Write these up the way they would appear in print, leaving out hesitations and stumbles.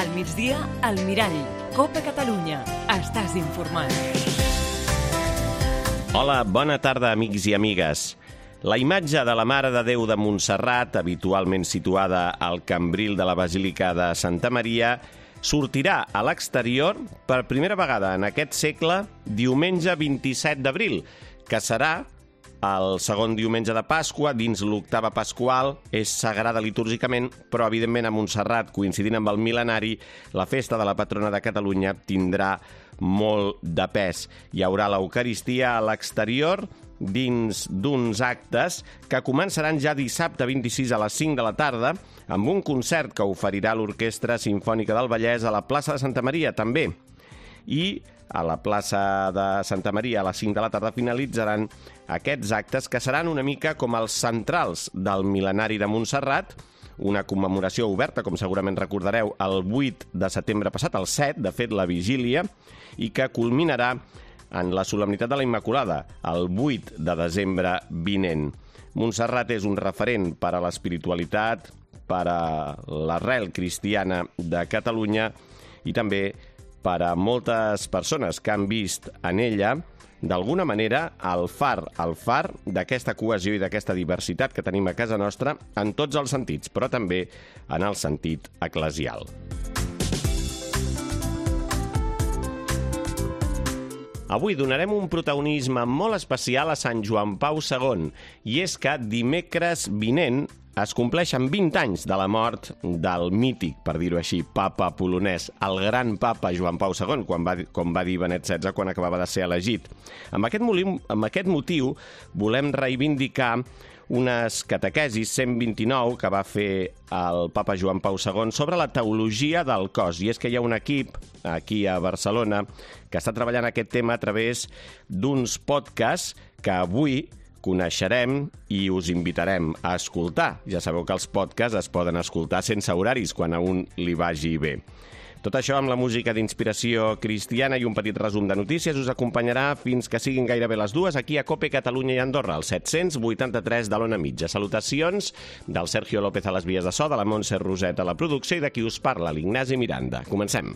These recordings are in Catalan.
Al migdia, al Mirall. Copa Catalunya. Estàs informat. Hola, bona tarda, amics i amigues. La imatge de la Mare de Déu de Montserrat, habitualment situada al cambril de la Basílica de Santa Maria, sortirà a l'exterior per primera vegada en aquest segle diumenge 27 d'abril, que serà el segon diumenge de Pasqua, dins l'octava pasqual, és sagrada litúrgicament, però evidentment a Montserrat, coincidint amb el mil·lenari, la festa de la patrona de Catalunya tindrà molt de pes. Hi haurà l'Eucaristia a l'exterior, dins d'uns actes que començaran ja dissabte 26 a les 5 de la tarda, amb un concert que oferirà l'Orquestra Simfònica del Vallès a la plaça de Santa Maria, també. I a la plaça de Santa Maria a les 5 de la tarda finalitzaran aquests actes que seran una mica com els centrals del mil·lenari de Montserrat, una commemoració oberta, com segurament recordareu, el 8 de setembre passat, el 7, de fet, la vigília, i que culminarà en la solemnitat de la Immaculada, el 8 de desembre vinent. Montserrat és un referent per a l'espiritualitat, per a l'arrel cristiana de Catalunya i també per a moltes persones que han vist en ella, d'alguna manera, el far d'aquesta cohesió i d'aquesta diversitat que tenim a casa nostra en tots els sentits, però també en el sentit eclesial. Avui donarem un protagonisme molt especial a Sant Joan Pau II, i és que dimecres vinent es compleixen 20 anys de la mort del mític, per dir-ho així, papa polonès, el gran papa Joan Pau II, com va dir Benet XVI quan acabava de ser elegit. Amb aquest motiu volem reivindicar unes catequesis 129 que va fer el papa Joan Pau II sobre la teologia del cos. I és que hi ha un equip aquí a Barcelona que està treballant aquest tema a través d'uns podcasts que avui coneixerem i us invitarem a escoltar. Ja sabeu que els podcasts es poden escoltar sense horaris quan a un li vagi bé. Tot això amb la música d'inspiració cristiana i un petit resum de notícies us acompanyarà fins que siguin gairebé les 2 aquí a Cope Catalunya i Andorra, al 783 de l'Ona Mitja. Salutacions del Sergio López a les vies de so, de la Montse Roset a la producció i de qui us parla, l'Ignasi Miranda. Comencem.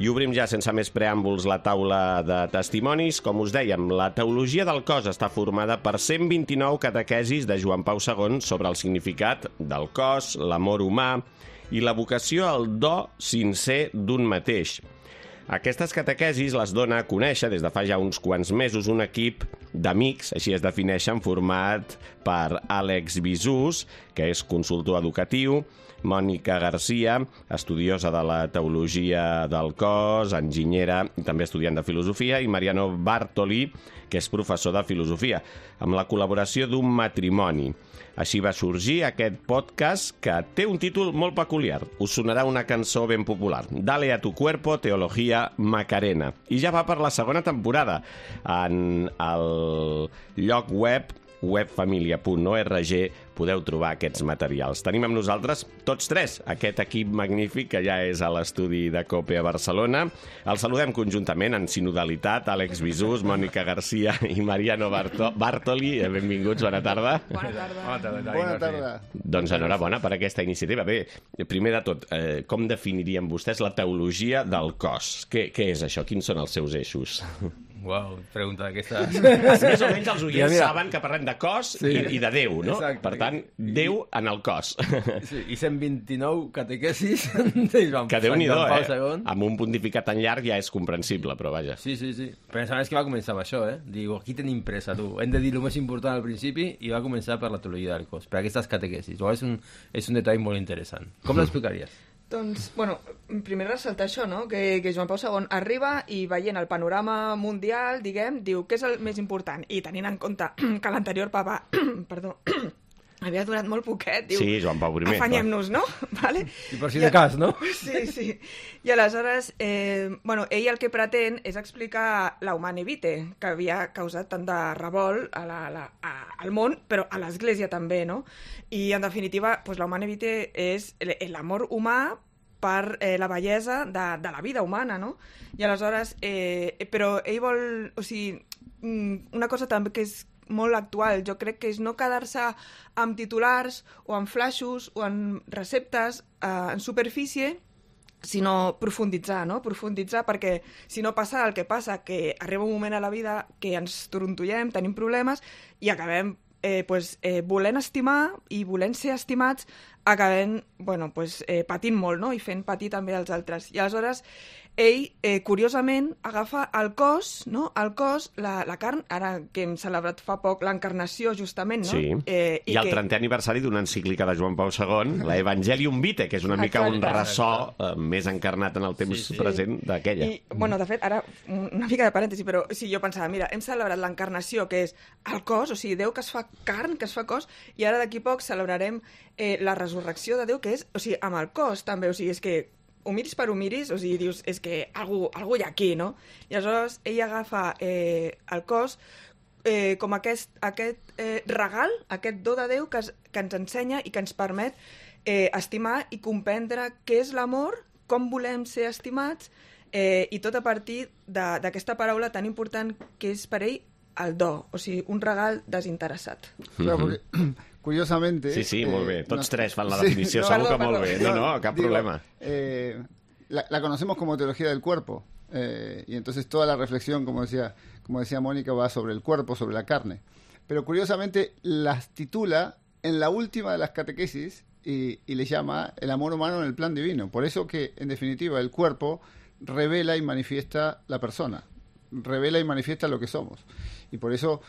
I obrim ja, sense més preàmbuls, la taula de testimonis. Com us dèiem, la teologia del cos està formada per 129 catequesis de Joan Pau II sobre el significat del cos, l'amor humà i la vocació al do sincer d'un mateix. Aquestes catequesis les dona a conèixer des de fa ja uns quants mesos un equip d'amics, així es defineixen, format per Àlex Bisús, que és consultor educatiu, Mònica Garcia, estudiosa de la teologia del cos, enginyera i també estudiant de filosofia, i Mariano Bartoli, que és professor de filosofia, amb la col·laboració d'un matrimoni. Així va sorgir aquest podcast que té un títol molt peculiar. Us sonarà una cançó ben popular. Dale a tu cuerpo, teología Macarena. I ja va per la segona temporada. En el lloc webfamilia.org podeu trobar aquests materials. Tenim amb nosaltres tots tres, aquest equip magnífic que ja és a l'estudi de COPE a Barcelona. El saludem conjuntament en sinodalitat, Àlex Bisús, Mònica Garcia i Mariano Bartoli. Benvinguts, bona tarda. Bona tarda. Bona tarda. Doncs enhorabona per aquesta iniciativa. Bé, primer de tot, com definirien vostès la teologia del cos? Què és això? Quins són els seus eixos? Uau, pregunta d'aquestes. Més o menys els oients saben que parlem de cos i de Déu, no? Exacte. Per tant, Déu en el cos. Sí, i 129 catequesis de Joan Que Déu-n'hi-do, Pau II. Amb un pontificat tan llarg ja és comprensible, però vaja. Sí. Però és que va començar amb això, Diu, aquí tenim pressa, tu. Hem de dir el més important al principi i va començar per la teologia del cos, per aquestes catequesis. És un detall molt interessant. Com l'explicaries? Doncs, bueno, primer ressaltar això, no? Que Joan Pau II arriba i veient el panorama mundial, diguem, diu, què és el més important? I tenint en compte que l'anterior papa, perdó, havia durat molt poquet, diu... Sí, Joan Pau I. Afanyem-nos, no? Vale? I per si de cas, no? Sí. I aleshores, bueno, ell el que pretén és explicar la Humane Vitae, que havia causat tant de revolt al món, però a l'Església també, no? I, en definitiva, doncs, la Humane Vitae és l'amor humà per la bellesa de la vida humana, no? I aleshores, però ell vol... O sigui, una cosa també que és molt actual. Jo crec que és no quedar-se amb titulars o amb flaixos o amb receptes en superfície, sinó profunditzar, no? Profunditzar perquè si no passa el que passa, que arriba un moment a la vida que ens torontollem, tenim problemes i acabem volent estimar i volent ser estimats, acabem patint molt, no? I fent patir també els altres. I aleshores ell, curiosament, agafa el cos, no? El cos, la carn, ara que hem celebrat fa poc l'encarnació, justament, no? Sí, i el 30è aniversari d'una encíclica de Joan Pau II, la Evangelium Vitae, que és una mica un ressò més encarnat en el temps present d'aquella. I, de fet, ara, una mica de parèntesi, però sí, jo pensava, mira, hem celebrat l'encarnació, que és el cos, o sigui, Déu que es fa carn, que es fa cos, i ara d'aquí poc celebrarem la resurrecció de Déu, que és, o sigui, amb el cos també, o sigui, és que ho miris per ho miris, o sigui, dius, és que algú hi ha aquí, no? I aleshores ell agafa el cos com aquest regal, aquest do de Déu que ens ensenya i que ens permet estimar i comprendre què és l'amor, com volem ser estimats, i tot a partir d'aquesta paraula tan important que és per ell el do, o sigui, un regal desinteressat. Claro, porque, curiosamente... Sí, molt bé. Tots tres fan la definició, segur que molt bé. No, cap problema. La conocemos como teología del cuerpo, y entonces toda la reflexión, como decía Mónica, va sobre el cuerpo, sobre la carne. Pero curiosamente las titula en la última de las catequesis y le llama el amor humano en el plan divino. Por eso que, en definitiva, el cuerpo revela y manifiesta la persona, revela y manifiesta lo que somos. Y por eso,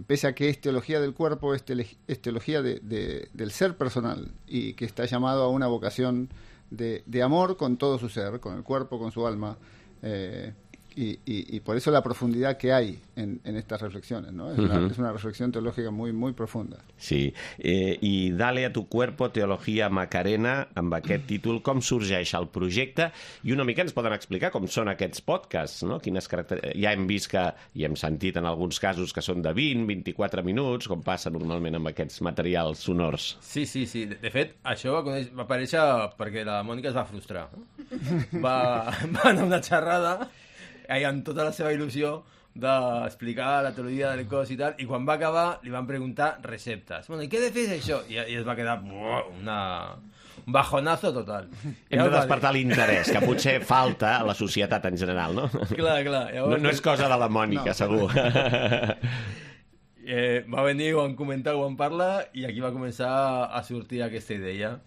pese a que es teología del cuerpo, es teología del ser personal, y que está llamado a una vocación de amor con todo su ser, con el cuerpo, con su alma, y por eso la profundidad que hay en estas reflexiones, ¿no? Es una reflexión teológica muy, muy profunda. Sí, i Dale a tu cuerpo, teologia Macarena, amb aquest títol, com sorgeix el projecte, i una mica ens poden explicar com són aquests podcasts, no? Quines ja hem vist que, i hem sentit en alguns casos que són de 20-24 minuts, com passa normalment amb aquests materials sonors. Sí. De fet, això va aparèixer perquè la Mònica es va frustrar. Va anar a una xerrada amb tota la seva il·lusió d'explicar la teologia del cos i tal, i quan va acabar li van preguntar receptes. Bueno, i què he de fer això? I es va quedar un bajonazo total. Hem de despertar l'interès, que potser falta a la societat en general, no? Clar. Llavors, no és cosa de la Mònica, segur. Va venir, ho van comentar, ho van parlar, i aquí va començar a sortir aquesta idea.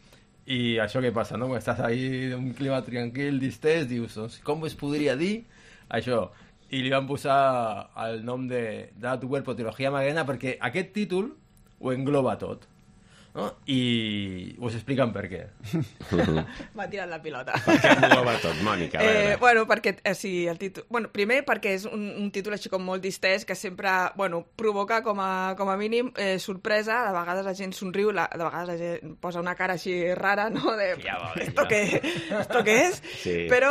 I això què passa, no? Quan estàs ahí en un clima tranquil, distès, dius, com es podria dir això? I li van posar el nom de tu cuerpo, teología Macarena, perquè aquest títol ho engloba tot, no? I us expliquen per què. M'ha tirat la pilota. Per què engloba tot, Mònica? Perquè el títol... primer perquè és un títol així com molt distès, que sempre provoca com a mínim sorpresa. De vegades la gent somriu, de vegades la gent posa una cara així rara, no? De, ¿esto qué es? Sí. Però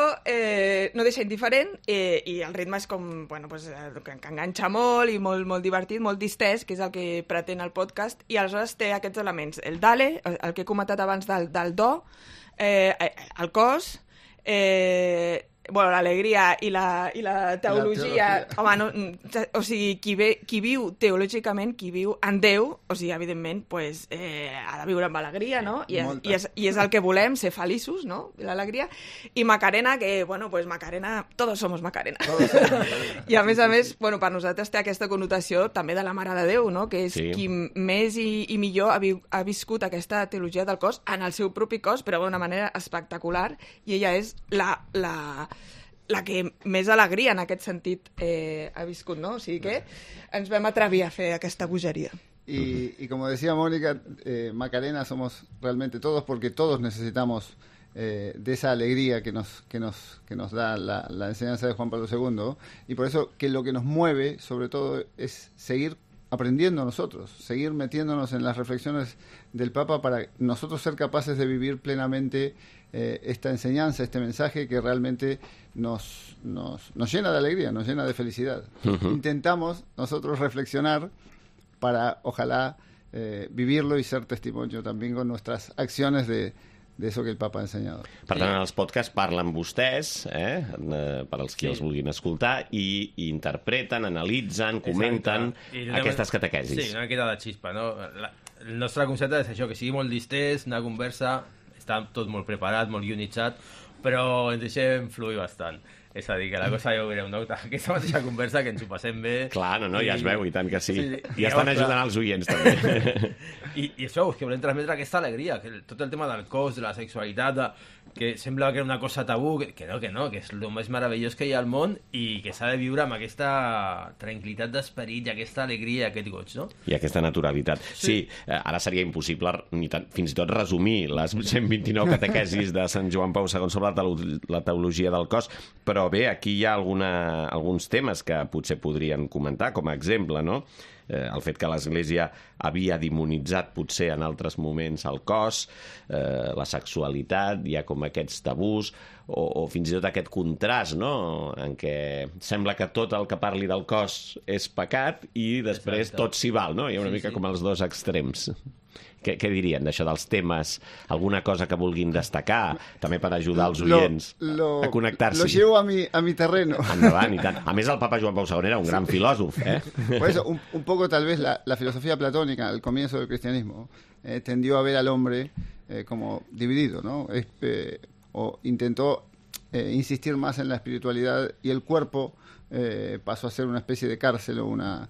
no deixa indiferent, i el ritme és com, que enganxa molt i molt divertit, molt distès, que és el que pretén el podcast, i aleshores té aquests elements. El Dale, el que he comentat abans del do, el cos, l'alegria i la teologia. Home, no, o sigui, qui viu teològicament, qui viu en Déu, o sigui, evidentment, ha de viure amb alegria, no? I és el que volem, ser feliços, no? L'alegria. I Macarena, que, Macarena, todos somos Macarena. I a més, per nosaltres té aquesta connotació també de la Mare de Déu, no? Que és qui més i millor ha viscut aquesta teologia del cos en el seu propi cos, però d'una manera espectacular, i ella és la que més alegria en aquest sentit ha viscut, ¿no? O sigui que ens vam atrevir a fer aquesta bogeria. Y como decía Mónica, Macarena somos realmente todos, porque todos necesitamos de esa alegría que nos da la enseñanza de Juan Pablo II, y por eso que lo que nos mueve, sobre todo, es seguir aprendiendo nosotros, seguir metiéndonos en las reflexiones del Papa para nosotros ser capaces de vivir plenamente esta enseñanza, este mensaje que realmente nos llena de alegría, nos llena de felicidad. Intentamos nosotros reflexionar para, ojalá, vivirlo y ser testimonio también con nuestras acciones de eso que el Papa ha enseñado. Per tant, en els podcasts parlen vostès, per als qui els vulguin escoltar, i interpreten, analitzen, comenten aquestes catequesis. Sí, una miqueta de xispa, no? El nostre concepte és això, que sigui molt distès, una conversa, està tot molt preparat, molt guionitzat, però ens deixem fluir bastant. És a dir, que la cosa ja ho veureu, no? Aquesta mateixa conversa que ens ho passem bé. Clar, no, ja es veu, i tant que sí. I ja estan ajudant els oients, també. I això, és que volem transmetre aquesta alegria, que tot el tema del cos, de la sexualitat, que sembla que era una cosa tabú, que no, que és el més meravellós que hi ha al món i que s'ha de viure amb aquesta tranquil·litat d'esperit i aquesta alegria i aquest goig, no? I aquesta naturalitat. Sí, ara seria impossible fins i tot resumir les 129 catequesis de Sant Joan Pau II sobre la teologia del cos, però bé, aquí hi ha alguns temes que potser podrien comentar, com a exemple, no? El fet que l'Església havia demonitzat potser en altres moments el cos, la sexualitat, hi ha com aquests tabús, o fins i tot aquest contrast, no?, en què sembla que tot el que parli del cos és pecat i després tot s'hi val, no? Hi ha una mica com els dos extrems. Què dirien d'això, dels temes? Alguna cosa que vulguin destacar, també per ajudar els oients a connectar-s'hi? Lo llevo a mi terreno. Endavant, i tant. A més, el Papa Joan Pau II era un gran filòsof, Por eso, un poco tal vez la filosofía platónica, al comienzo del cristianismo, tendió a ver al hombre como dividido, ¿no? O intentó insistir más en la espiritualidad y el cuerpo pasó a ser una especie de cárcel o una...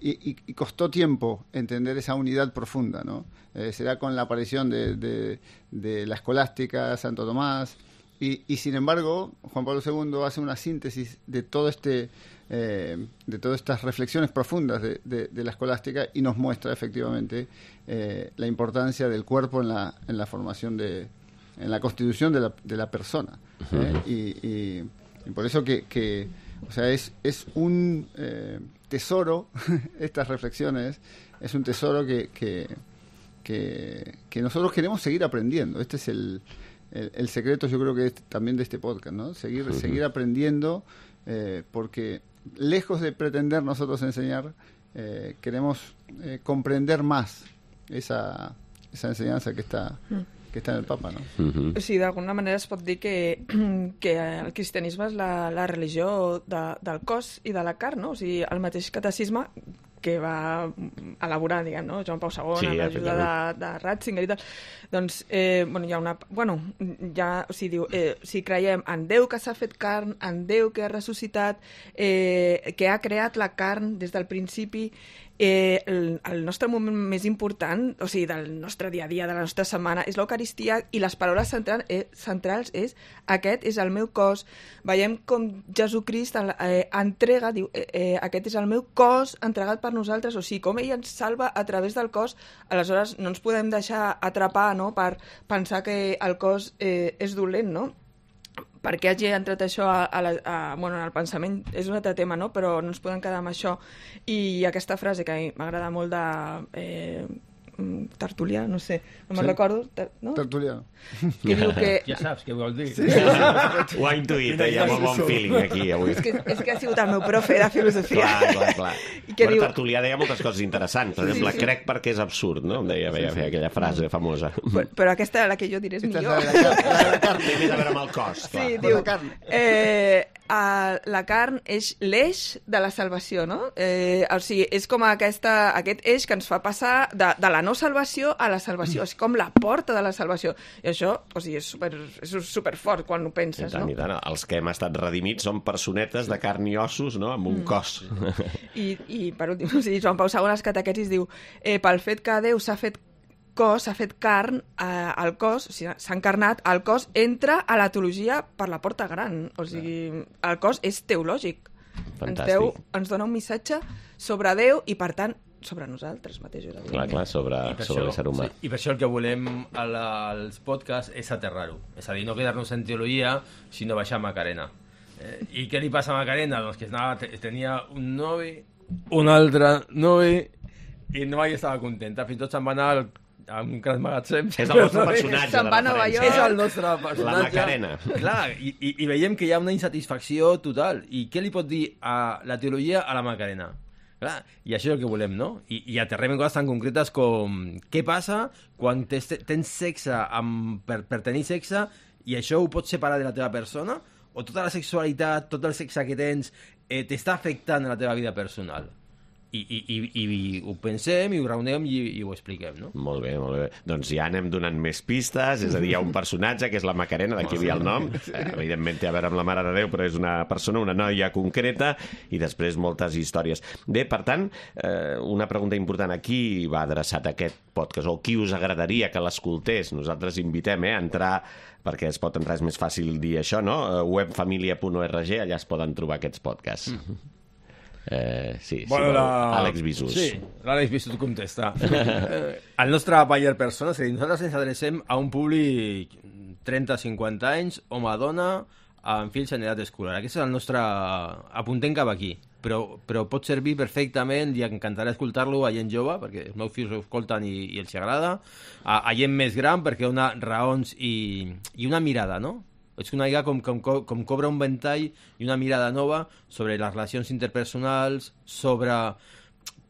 y costó tiempo entender esa unidad profunda, ¿no? Será con la aparición de la escolástica, Santo Tomás, y sin embargo, Juan Pablo II hace una síntesis de todo de todas estas reflexiones profundas de la escolástica y nos muestra efectivamente la importancia del cuerpo en la formación en la constitución de la persona. Y por eso que o sea, es un tesoro, estas reflexiones, es un tesoro que nosotros queremos seguir aprendiendo. Este es el secreto, yo creo que también de este podcast, ¿no? Seguir aprendiendo, porque lejos de pretender nosotros enseñar, queremos comprender más esa enseñanza que está en el Papa, no? Sí, d'alguna manera es pot dir que el cristianisme és la religió del cos i de la carn, no? O sigui, el mateix catecisme que va elaborar, diguem, no? Joan Pau II, amb l'ajuda de Ratzinger i tal, doncs, hi ha una... o sigui, diu, si creiem en Déu que s'ha fet carn, en Déu que ha ressuscitat, que ha creat la carn des del principi, el nostre moment més important, o sigui, del nostre dia a dia, de la nostra setmana, és l'Eucaristia, i les paraules centrals és aquest és el meu cos. Veiem com Jesucrist entrega, diu, aquest és el meu cos entregat per nosaltres, o sigui, com ell ens salva a través del cos. Aleshores no ens podem deixar atrapar, no?, per pensar que el cos és dolent, no? Per què hagi entrat això en el pensament és un altre tema, no? Però no ens podem quedar amb això. I aquesta frase que a mi m'agrada molt de Tertulià, no sé, no me'n recordo, no? Tertulià. Que diu que... Ja saps què vol dir. Sí. Ho ha intuït, hi ha molt bon feeling aquí avui. És que ha sigut el meu profe de filosofia. Clar. Tertulià deia moltes coses interessants. Per exemple, crec perquè és absurd, no? Deia aquella frase famosa. Però aquesta, la que jo diré, és millor. La carn. Té més a veure amb el cos, clar. Sí, diu, la carn és l'eix de la salvació, no? O sigui, és com aquest eix que ens fa passar de la no salvació a la salvació, és com la porta de la salvació. I això, o sigui, és superfort quan ho penses, no? I tant. Els que hem estat redimits són personetes de carn i ossos, no?, amb un cos. I per últim, o sigui, Joan Pau II als catequesis diu pel fet que Déu s'ha fet cos, s'ha fet carn, el cos, o sigui, s'ha encarnat, el cos entra a la teologia per la porta gran, o sigui, el cos és teològic. Fantàstic. Ens dona un missatge sobre Déu i, per tant, sobre nosaltres mateixos. Clar, sobre l'ésser humà. Sí, i per això el que volem als podcasts és aterrar-ho. És a dir, no quedar-nos en teologia, sinó baixar a Macarena. I què li passa a Macarena? Doncs que tenia un novi, un altre novi, i no estava contenta. Fins i tot se'n va anar a un gran magatzem. És el nostre personatge de referència. És el nostre personatge. La Macarena. Clar, i veiem que hi ha una insatisfacció total. I què li pot dir a la teologia a la Macarena? Clar, i això és el que volem, no? I aterrem en coses tan concretes com què passa quan tens sexe per tenir sexe i això ho pots separar de la teva persona, o tota la sexualitat, tot el sexe que tens t'està afectant a la teva vida personal. I ho pensem, i ho raonem i ho expliquem, no? Molt bé, molt bé. Doncs ja anem donant més pistes, és a dir, hi ha un personatge que és la Macarena, d'aquí ve el nom, evidentment té a veure amb la Mare de Déu, però és una persona, una noia concreta, i després moltes històries. Bé, per tant, una pregunta important, a qui va adreçat aquest podcast, o qui us agradaria que l'escoltés? Nosaltres invitem a entrar, perquè es pot entrar, és més fàcil dir això, no? Webfamilia.org, allà es poden trobar aquests podcasts. Sí, bueno, Àlex Bisús. Sí, l'Àlex Bisús contesta. El nostre buyer persona, és a dir, nosaltres ens adrecem a un públic 30-50 anys, home-dona, amb fills en edat escolar. Aquest és el nostre... Apuntem cap aquí. Però pot servir perfectament, i encantarà escoltar-lo a gent jove, perquè els meus fills ho escolten i els agrada, a gent més gran, perquè dona raons i una mirada, no? És una idea com cobra un ventall i una mirada nova sobre les relacions interpersonals, sobre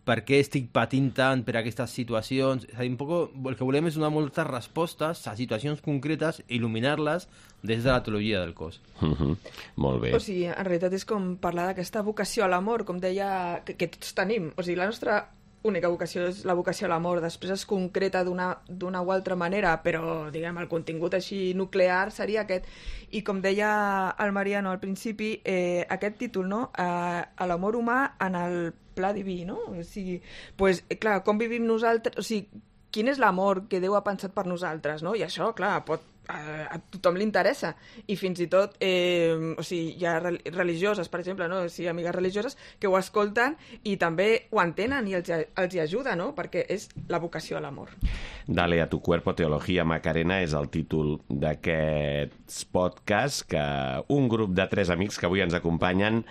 per què estic patint tant per aquestes situacions. És a dir, un poc el que volem és donar moltes respostes a situacions concretes i il·luminar-les des de la teologia del cos. Molt bé. O sigui, en realitat és com parlar d'aquesta vocació a l'amor, com deia, que tots tenim. O sigui, la nostra única vocació és la vocació a l'amor, després es concreta d'una o altra manera, però diguem, el contingut així nuclear seria aquest. I com deia el Mariano al principi, aquest títol, no? A l'amor humà en el pla diví, no? O sigui, pues, clar, com vivim nosaltres, o sigui, quin és l'amor que Déu ha pensat per nosaltres, no? I això, clar, a tothom li interessa, i fins i tot o sigui, hi ha religioses, per exemple, no? O sigui, amigues religioses que ho escolten i també ho entenen i els hi ajuda, no? Perquè és la vocació a l'amor. Dale a tu cuerpo, teología, Macarena, és el títol d'aquests podcasts que un grup de 3 amics que avui ens acompanyen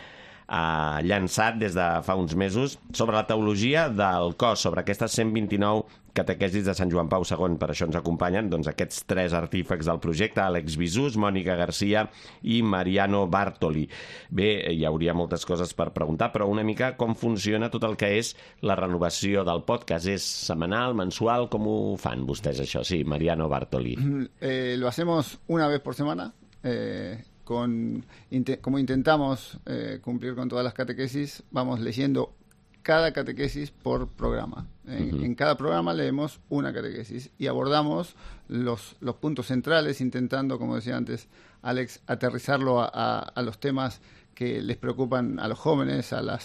ha llançat des de fa uns mesos sobre la teologia del cos, sobre aquestes 129 catequesis de Sant Joan Pau II. Per això ens acompanyen doncs, aquests 3 artífecs del projecte, Àlex Bisús, Mònica Garcia i Mariano Bartoli. Bé, hi hauria moltes coses per preguntar, però una mica com funciona tot el que és la renovació del podcast. És setmanal, mensual? Com ho fan vostès, això? Sí, Mariano Bartoli. Lo hacemos una vez por semana. Como intentamos cumplir con todas las catequesis, vamos leyendo cada catequesis por programa. En cada programa leemos una catequesis y abordamos los puntos centrales, intentando, como decía antes Alex, aterrizarlo a los temas que les preocupan a los jóvenes, a la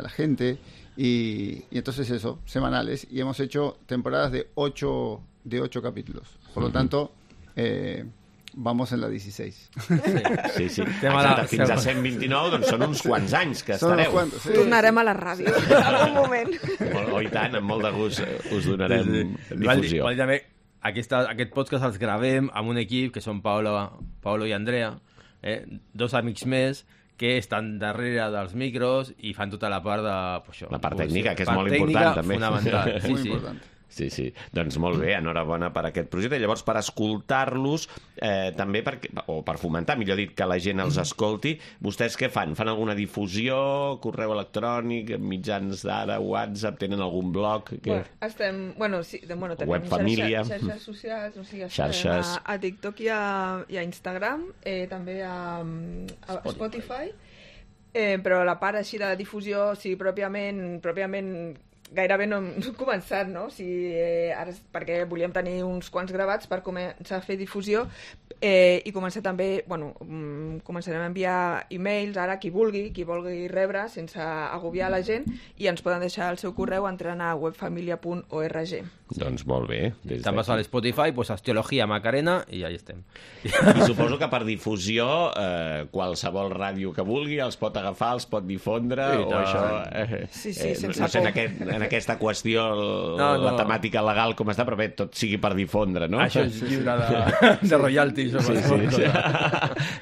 gente, y entonces eso, semanales, y hemos hecho temporadas de 8 capítulos. Por lo tanto, vamos en la 16. Sí. Exacte, fins a 129, doncs són uns quants anys que estareu. Sí. Tornarem a la ràdio en algun moment. I tant, amb molt de gust us donarem difusió. També, aquest podcast els gravem amb un equip que són Paolo i Andrea, 2 amics més, que estan darrere dels micros i fan tota la part de... La part tècnica, que és molt important, també. Fonamental. Muy important. Sí. Doncs molt bé, enhorabona per aquest projecte. Llavors, per escoltar-los, també per fomentar, millor dit, que la gent els escolti, vostès què fan? Fan alguna difusió, correu electrònic, mitjans d'ara, WhatsApp, tenen algun blog? Tenim Webfamília. xarxes socials, o sigui, xarxes a TikTok i a Instagram, també a Spotify, però la part així de difusió, o sigui, pròpiament gairebé no hem començat, no? Ara perquè volíem tenir uns quants gravats per començar a fer difusió i començar també, començarem a enviar e-mails ara qui vulgui rebre sense agobiar la gent, i ens poden deixar el seu correu entrant a webfamilia.org. Doncs molt bé. També vas a l'Spotify, pues Teologia Macarena, i ja hi estem. I suposo que per difusió qualsevol ràdio que vulgui els pot agafar, els pot difondre, o això... Sí, sense no sé, por. en aquesta qüestió la temàtica legal com està, però bé, tot sigui per difondre, no? Això és lliure de royalties. Sí.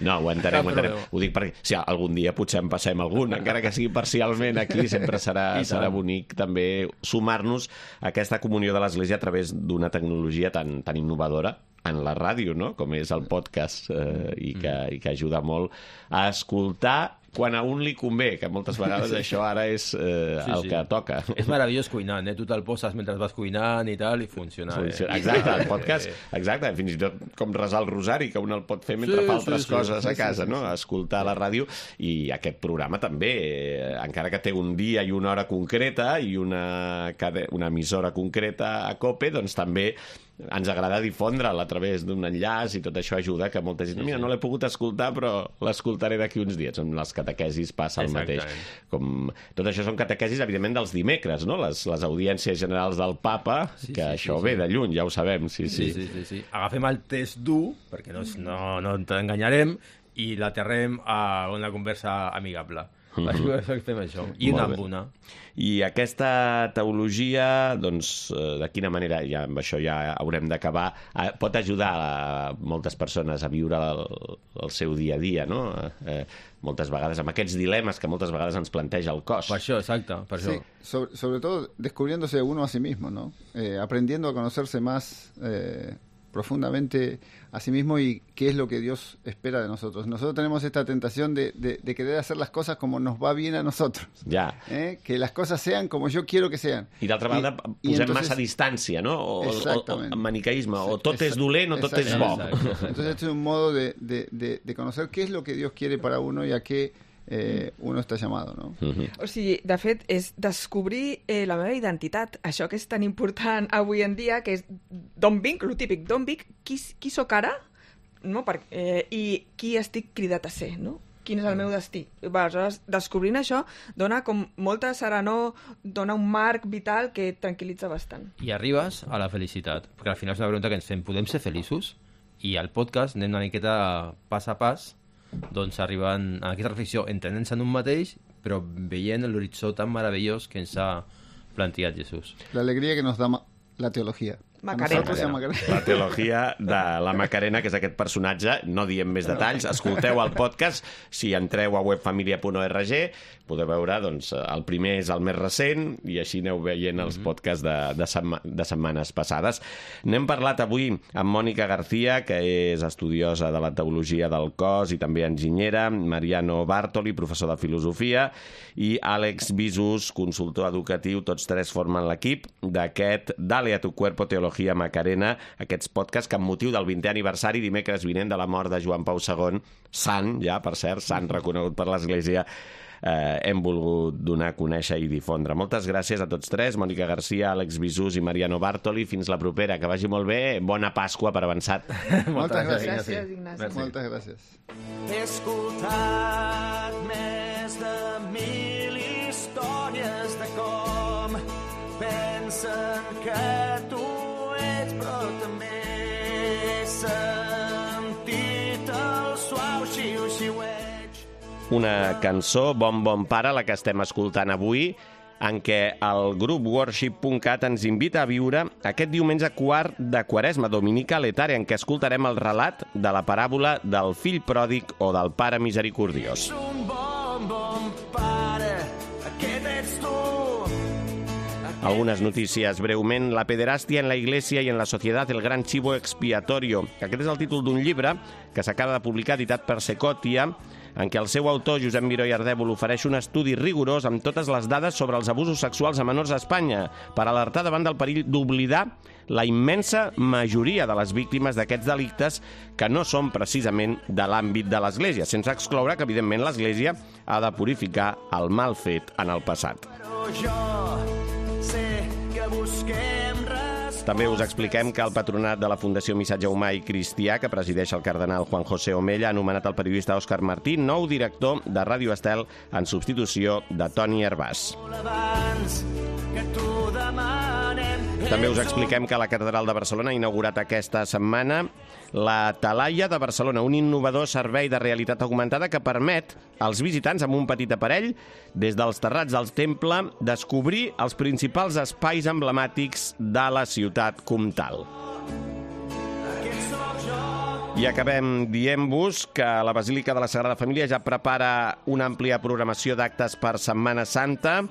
No, ho entenem. Ho dic perquè si algun dia potser en passem algun, encara que sigui parcialment aquí, sempre serà bonic també sumar-nos a aquesta comunió de l'Església a través d'una tecnologia tan innovadora en la ràdio, no? Com és el podcast, i que ajuda molt a escoltar quan a un li convé, que moltes vegades això ara és el que toca. És meravellós cuinant, Tu te'l poses mentre vas cuinant i tal, i funciona. Exacte, el podcast, exacte, fins i tot com resar el rosari, que un el pot fer mentre fa altres coses a casa, no? Escoltar la ràdio, i aquest programa també, encara que té un dia i una hora concreta i una emissora concreta a COPE, doncs també ens agrada difondre'l a través d'un enllaç, i tot això ajuda que molta gent... Mira, no l'he pogut escoltar, però l'escoltaré d'aquí uns dies. Amb les catequesis passa el mateix. Tot això són catequesis, evidentment, dels dimecres, no? Les audiències generals del Papa, que això ve de lluny, ja ho sabem. Sí. Agafem el test dur, perquè no t'enganyarem, i l'aterrem a una conversa amigable. Fem això, i una amb una. I aquesta teologia, doncs, de quina manera, ja amb això ja haurem d'acabar, pot ajudar a moltes persones a viure el seu dia a dia, no? Moltes vegades, amb aquests dilemes que moltes vegades ens planteja el cos. Per això, exacte, per això. Sí, sobre todo descubriéndose uno a sí mismo, ¿no? Aprendiendo a conocerse más profundamente a sí mismo y qué es lo que Dios espera de nosotros. Nosotros tenemos esta tentación de querer hacer las cosas como nos va bien a nosotros. Ja. Que las cosas sean como yo quiero que sean. I d'altra banda, posem massa distància, no? O manicaísme, o tot és dolent o tot és bo. Entonces este es un modo de conocer qué es lo que Dios quiere para uno y a qué uno està llamado, no? O sigui, de fet, és descobrir la meva identitat, això que és tan important avui en dia, que és d'on vinc, lo típic, d'on vinc, qui sóc ara, no? I qui estic cridat a ser, no? Quin és el meu destí. Aleshores, descobrint això, dona com molta serenor, dona un marc vital que tranquil·litza bastant. I arribes a la felicitat, perquè al final és una pregunta que ens fem, podem ser feliços? I al podcast anem una miqueta pas a pas, doncs arriben a aquesta reflexió entenent-se en un mateix, però veient l'horitzó tan meravellós que ens ha plantejat Jesús. L'alegria que nos da la teologia. Macarena. La teologia de la Macarena, que és aquest personatge. No diem més detalls. Escolteu el podcast. Si entreu a webfamilia.org podeu veure, doncs, el primer és el més recent, i així aneu veient els podcasts de setmanes passades. N'hem parlat avui amb Mònica García, que és estudiosa de la teologia del cos i també enginyera, Mariano Bartoli, professor de filosofia, i Àlex Visus, consultor educatiu. Tots tres formen l'equip d'aquest Dale a tu cuerpo teología Macarena, aquests podcasts que amb motiu del 20è aniversari, dimecres vinent, de la mort de Joan Pau II, sant, ja, per cert, sant reconegut per l'Església, hem volgut donar a conèixer i difondre. Moltes gràcies a tots tres, Mònica García, Àlex Visus i Mariano Bartoli. Fins la propera, que vagi molt bé. Bona Pasqua per avançat. Moltes gràcies. Gràcies, Ignasi. Moltes gràcies. He escoltat més de 1000 històries de com pensen que tu ets, però també he sentit el suau xiu-xiueig. Una cançó, Bon Bon Pare, la que estem escoltant avui, en què el grup Worship.cat ens invita a viure aquest diumenge quart de Quaresma, Dominica Letare, en què escoltarem el relat de la paràbola del fill pròdig o del pare misericordiós. Un bon, bon pare, aquest ets tu. Algunes notícies breument. La pederàstia en la Iglesia i en la societat, el gran chivo expiatorio. Aquest és el títol d'un llibre que s'acaba de publicar, editat per Secotia, en què el seu autor, Josep Miró i Ardèvol, ofereix un estudi rigorós amb totes les dades sobre els abusos sexuals a menors a Espanya, per alertar davant del perill d'oblidar la immensa majoria de les víctimes d'aquests delictes que no són precisament de l'àmbit de l'Església, sense excloure que, evidentment, l'Església ha de purificar el mal fet en el passat. Però jo sé que busquem També us expliquem que el patronat de la Fundació Missatge Humà i Cristià, que presideix el cardenal Juan José Omella, ha anomenat el periodista Òscar Martí nou director de Ràdio Estel en substitució de Toni Hervàs. També us expliquem que la Catedral de Barcelona ha inaugurat aquesta setmana la Talaia de Barcelona, un innovador servei de realitat augmentada que permet als visitants amb un petit aparell, des dels terrats del temple, descobrir els principals espais emblemàtics de la ciutat comtal. I acabem dient-vos que la Basílica de la Sagrada Família ja prepara una àmplia programació d'actes per Setmana Santa.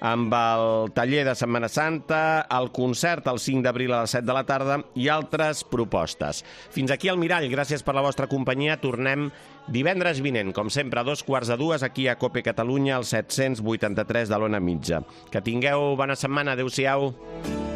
amb el taller de Setmana Santa, el concert el 5 d'abril a les 7 de la tarda i altres propostes. Fins aquí el Mirall, gràcies per la vostra companyia. Tornem divendres vinent, com sempre, a 2:45, aquí a COPE Catalunya, al 783 de l'Ona Mitja. Que tingueu bona setmana. Adéu-siau.